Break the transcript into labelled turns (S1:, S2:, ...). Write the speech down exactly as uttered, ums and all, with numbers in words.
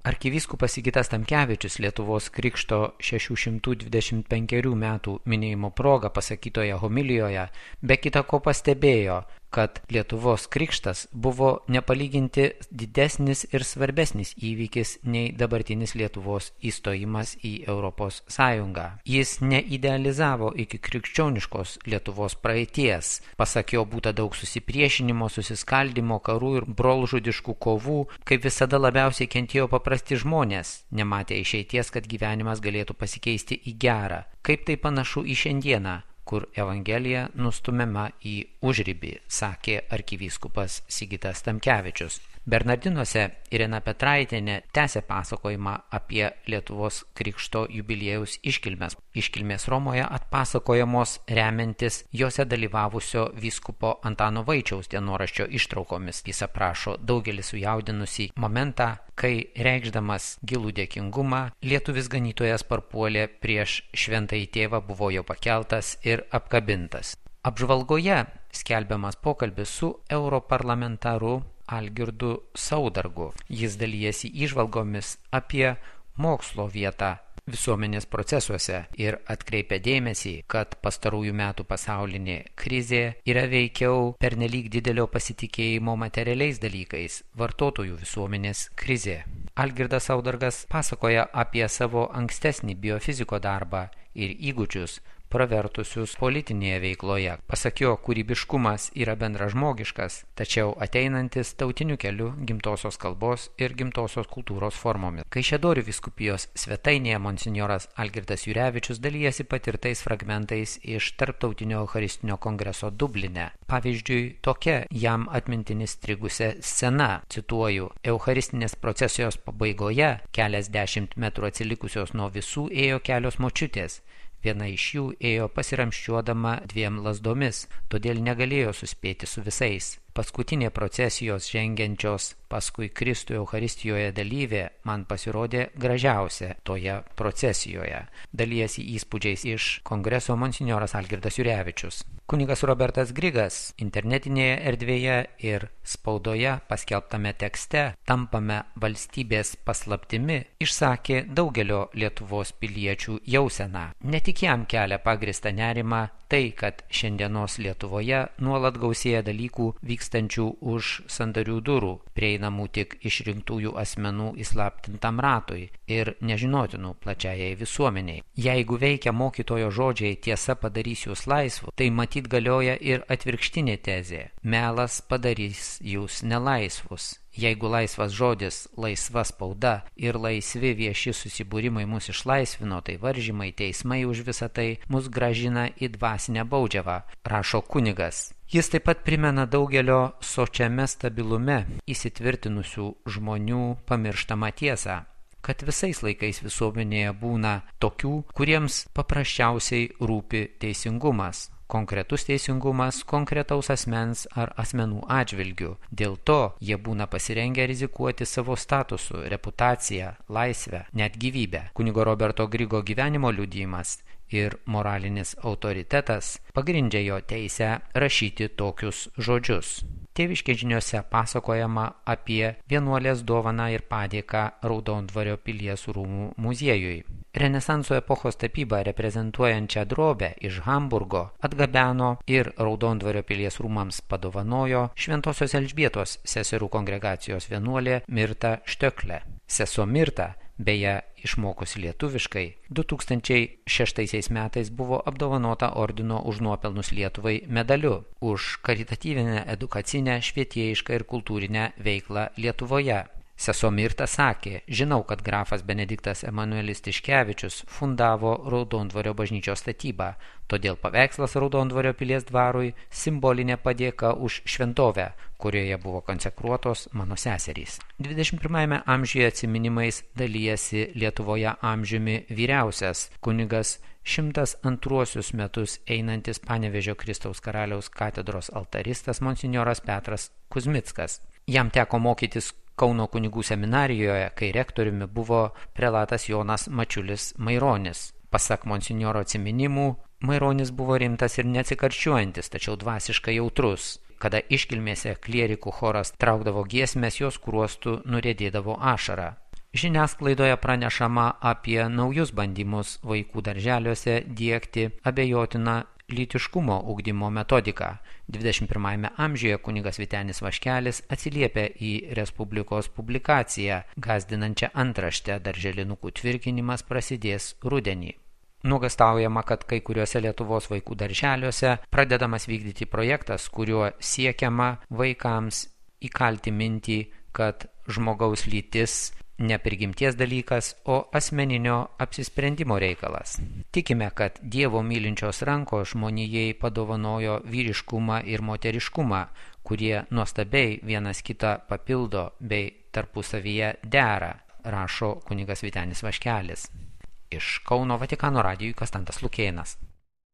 S1: Arkivyskupas Sigitas Tamkevičius Lietuvos Krikšto šešių šimtų dvidešimt penkerių metų minėjimo proga pasakytoje homilijoje be kita ko pastebėjo, kad Lietuvos Krikštas buvo nepalyginti didesnis ir svarbesnis įvykis nei dabartinis Lietuvos įstojimas į Europos Sąjungą. Jis neidealizavo iki krikščioniškos Lietuvos praeities. Pasak jo būta daug susipriešinimo, susiskaldimo, karų ir brolžudiškų kovų, kaip visada labiausiai kentėjo paprasti žmonės, nematė išeities, kad gyvenimas galėtų pasikeisti į gerą. Kaip tai panašu į šiandieną, kur Evangelija nustumiama į užribį, sakė arkivyskupas Sigitas Tamkevičius. Bernardinuose Irena Petraitienė tęsė pasakojimą apie Lietuvos Krikšto jubiliejaus iškilmes. Iškilmės Romoje atpasakojamos remiantis jose dalyvavusio vyskupo Antano Vaičiaus dienoraščio ištraukomis. Jis aprašo daugelį sujaudinusį momentą, kai reikšdamas gilų dėkingumą, lietuvis ganytojas parpuolė prieš šventąjį tėvą, buvo jo pakeltas ir apkabintas. Apžvalgoje skelbiamas pokalbis su europarlamentaru Algirdu Saudargu. Jis dalijasi įžvalgomis apie mokslo vietą visuomenės procesuose ir atkreipia dėmesį, kad pastarųjų metų pasaulinė krizė yra veikiau pernelyg didelio pasitikėjimo materialiais dalykais, vartotojų visuomenės krizė. Algirdas Saudargas pasakoja apie savo ankstesnį biofiziko darbą ir įgūdžius, pravertusius politinėje veikloje. Pasak jo, kūrybiškumas yra bendražmogiškas, tačiau ateinantis tautiniu keliu gimtosios kalbos ir gimtosios kultūros formomis. Kaišiadorių vyskupijos svetainėje monsinjoras Algirdas Jurevičius dalijasi patirtais fragmentais iš Tarptautinio Eucharistinio kongreso Dubline. Pavyzdžiui, tokia jam atmintinį strigusią scena, cituoju, Eucharistinės procesijos pabaigoje keliasdešimt metrų atsilikusios nuo visų ėjo kelios močiutės. Viena iš jų ėjo pasiramščiuodama dviem lazdomis, todėl negalėjo suspėti su visais. Paskutinė procesijos žengiančios paskui Kristų Eucharistijoje dalyvė man pasirodė gražiausia toje procesijoje. Dalijasi įspūdžiais iš kongreso monsinjoras Algirdas Jurevičius. Kunigas Robertas Grigas internetinėje erdvėje ir spaudoje paskelbtame tekste Tampame valstybės paslaptimi išsakė daugelio Lietuvos piliečių jauseną. Ne tik jam kelia pagrįstą nerimą tai, kad šiandienos Lietuvoje nuolat gausėja dalykų vykstančių už sandarių durų, prieinamų tik išrinktųjų asmenų įslaptintam ratui ir nežinotinų plačiajai visuomeniai. Jeigu veikia mokytojo žodžiai tiesa padarys jūs laisvų, tai matyt galioja ir atvirkštinė tezė. Melas padarys jūs nelaisvus. Jeigu laisvas žodis, laisva spauda ir laisvi vieši susibūrimai mus išlaisvino, tai varžymai, teismai už visą tai mus grąžina į dvasinę baudžiavą, rašo kunigas. Jis taip pat primena daugelio sočiame stabilume įsitvirtinusių žmonių pamirštamą tiesą, kad visais laikais visuomenėje būna tokių, kuriems paprasčiausiai rūpi teisingumas. Konkretus teisingumas konkretaus asmens ar asmenų atžvilgių. Dėl to jie būna pasirengę rizikuoti savo statusu, reputaciją, laisvę, net gyvybę. Kunigo Roberto Grigo gyvenimo liudijimas ir moralinis autoritetas pagrindžia jo teisę rašyti tokius žodžius. Tėviškės žiniose pasakojama apie vienuolės dovaną ir padėką Raudondvario pilies rūmų muziejui. Renesanso epochos tapybą reprezentuojančią drobę iš Hamburgo atgabeno ir Raudondvario pilies rūmams padovanojo Šventosios Elžbietos seserų kongregacijos vienuolė Mirta Štöklė. Sesuo Mirta, beje, išmokusi lietuviškai, du tūkstančiai šeštaisiais metais buvo apdovanota ordino už nuopelnus Lietuvai medaliu už karitatyvinę, edukacinę, švietėjišką ir kultūrinę veiklą Lietuvoje. Sesuo Mirta sakė, žinau, kad grafas Benediktas Emanuelis Tiškevičius fundavo Raudondvario bažnyčios statybą, todėl paveikslas Raudondvario pilies dvarui simbolinė padėka už šventovę, kurioje buvo konsekruotos mano seserys. dvidešimt pirmajame amžiuje atsiminimais dalijasi Lietuvoje amžiumi vyriausias kunigas šimtas antruosius metus einantis Panevėžio Kristaus karaliaus katedros altaristas monsinjoras Petras Kuzmickas. Jam teko mokytis Kauno kunigų seminarijoje, kai rektoriumi buvo prelatas Jonas Mačiulis Maironis. Pasak monsinjoro atsiminimų, Maironis buvo rimtas ir neatsikarščiuojantis, tačiau dvasiškai jautrus. Kada iškilmėse klierikų choras traukdavo giesmes, jos skruostų nuriedėdavo ašara. Žiniasklaidoje pranešama apie naujus bandymus vaikų darželiuose diegti abejotiną lytiškumo ugdymo metodiką. dvidešimt pirmajame amžiuje kunigas Vytenis Vaškelis atsiliepia į Respublikos publikaciją, gąsdinančią antraštę darželinukų tvirkinimas prasidės rudenį. Nuogąstaujama, kad kai kuriuose Lietuvos vaikų darželiuose pradedamas vykdyti projektas, kuriuo siekiama vaikams įkalti mintį, kad žmogaus lytis ne prigimties dalykas, o asmeninio apsisprendimo reikalas. Tikime, kad Dievo mylinčios rankos žmonijai padovanojo vyriškumą ir moteriškumą, kurie nuostabiai vienas kitą papildo bei tarpusavyje dera, rašo kunigas Vytenis Vaškelis. Iš Kauno Vatikano radijui Konstantas Lukėnas.